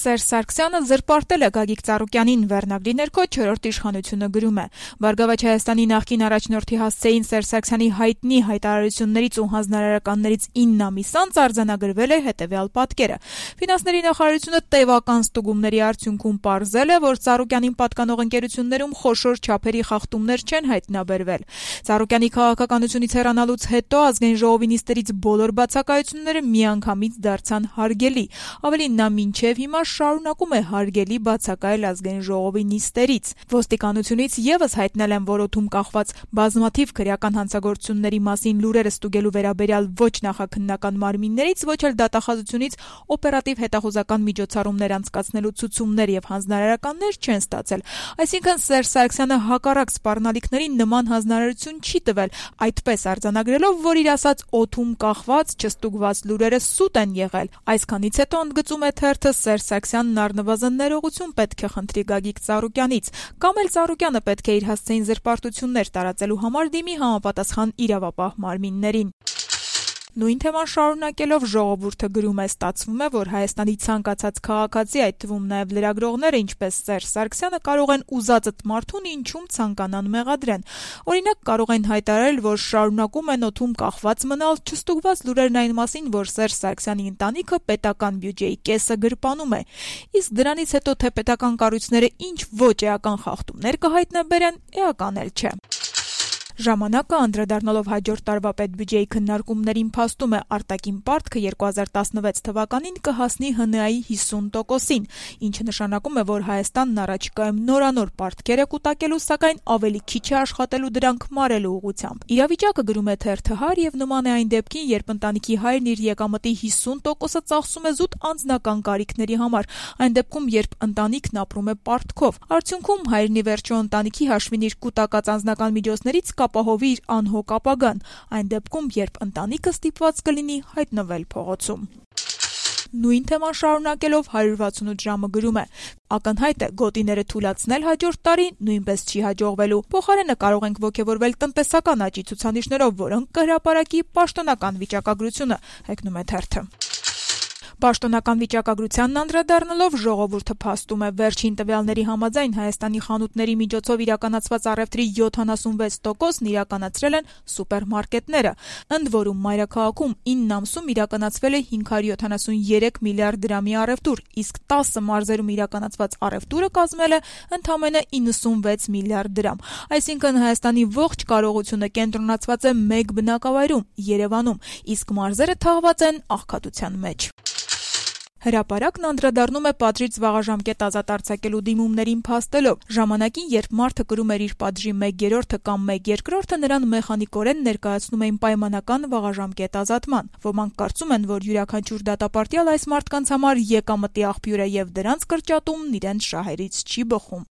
Սերժ Սարգսյանը զրպարտել է Գագիկ Ծառուկյանին, վերնագրի ներքո «Չորրորդ իշխանությունը» գրում է. «Բարգավաճ Հայաստանի նախկին առաջնորդի հասցեին Սերժ Սարգսյանի հայտնի հայտարարություններից ու հանձնարարականներից 9 ամիս անց արձանագրվել է հետևյալ պատկերը. Ֆինանսների նախարարությունը տևական ստուգումների արդյունքում պարզել է, որ Ծառուկյանին պատկանող ընկերություններում խոշոր չափերի խախտումներ չեն հայտնաբերվել։ Ծառուկյանի քաղաքականությունից հեռանալուց հետո Ազգային ժողովի նիստերից բոլոր բացակայությունները միանգամից դարձան հարգելի։ Ավելին, նա մինչև հիմա շարունակում է հարգելի բացակայել Ազգային ժողովի նիստերից։ Ոստիկանությունից եւս հայտնել են, որ օդում կախված բազմաթիվ քրեական հանցագործությունների մասին լուրերը ստուգելու վերաբերյալ ոչ նախաքննական մարմիններից, ոչ էլ դատախազությունից օպերատիվ հետախուզական միջոցառումներ անցկացնելու ցուցումներ եւ հանձնարարականներ չեն ստացել։ Այսինքն Սերժ Սարգսյանը հակառակ սպառնալիքների նման հանձնարարություն չի տվել, այդպես արձանագրելով, որ իր ասած օդում կախված չստուգված լուրերը սուտ են եղել։ Այսքանից հետո ընդգծում է թերթը, Սերժ Սարգսյանն առնվազն ներողություն պետք է խնդրի Գագիկ Ծառուկյանից, կամ էլ Ծառուկյանը պետք է իր հասցեին զրպարտություններ տարածելու համար դիմի համապատասխան իրավապահ մարմիններին։ Նույն թեման շարունակելով Ժողովուրդը գրում է. ստացվում է, որ Հայաստանի ցանկացած քաղաքացի, այդ թվում նաև լրագրողները, ինչպես Սերժ Սարգսյանը, կարող են ուզածդ մարդուն ինչում ցանկանան մեղադրեն։ Օրինակ, կարող են հայտարարել, որ շարունակում են օդում կախված մնալ, չստուգված լուրերն այն մասին, որ Սերժ Սարգսյանի ընտանիքը պետական բյուջեի կեսը գրպանում է։ Իսկ դրանից հետո թե պետական կառույցները ինչ ոչ էական խախտումներ կհայտնաբերեն, էական էլ չէ։ Ժամանակը անդրադառնալով հաջորդ տարվա պետբյուջեի քննարկումներին փաստում է, արտաքին պարտքը 2016 թվականին կհասնի ՀՆԱ-ի 50%-ին, ինչը նշանակում է, որ Հայաստանն առաջիկայում նորանոր պարտքեր է կուտակելու, սակայն ավելի քիչ է աշխատելու դրանք մարելու ուղղությամբ։ Իրավիճակը, գրում է թերթը, եւ նման է այն դեպքին, երբ ընտանիքի հայրն իր եկամտի 50%-ը ծախսում է զուտ անձնական կարիքների համար, այն դեպքում, երբ ընտանիքն ապրում է պարտքով։ Արդյունքում հայրն ի վերջո ընտանիքի հաշվին իր կուտակած անձնական միջոցներից կապահովի իր անհոգ ապագան, այն դեպքում, երբ ընտանիքը ստիպված կլինի հայտնվել փողոցում։ Նույն թեման շարունակելով 168 ժամը գրում է. ակնհայտ է, գոտիները թուլացնել հաջորդ տարի նույնպես չի հաջողվելու։ Փոխարենը կարող ենք ոգևորվել տնտեսական աճի ցուցանիշներով, որոնք կհրապարակի պաշտոնական վիճակագրությունը, հեգնում է թերթը։ Պաշտոնական վիճակագրությանն անդրադառնալով Ժողովուրդը փաստում է, վերջին տվյալների համաձայն Հայաստանի խանութների միջոցով իրականացված առևտրի 76%-ն իրականացրել են սուպերմարկետները, ընդ որում մայրաքաղաքում 9 ամսում իրականացվել է 573 միլիարդ դրամի առևտուր, իսկ 10 մարզերում իրականացված առևտուրը կազմել է ընդամենը 96 միլիարդ դրամ։ Այսինքն Հայաստանի ողջ կարողությունը կենտրոնացված է մեկ բնակավայրում՝ Երևանում, իսկ մարզերը թաղված են աղքատության մեջ։ Հրապարակն անդրադառնում է պատժից վաղաժամկետ ազատ արձակելու դիմումներին փաստելով. ժամանակին, երբ մարդը կրում էր իր պատժի 1/3 կամ 1/2, նրան մեխանիկորեն ներկայացնում էին պայմանական վաղաժամկետ ազատման։ Ոմանք կարծում են, որ յուրաքանչյուր դատապարտյալ այս մարդկանց համար եկամտի աղբյուր է եւ դրանց կրճատումն իրենց շահերից չի բխում։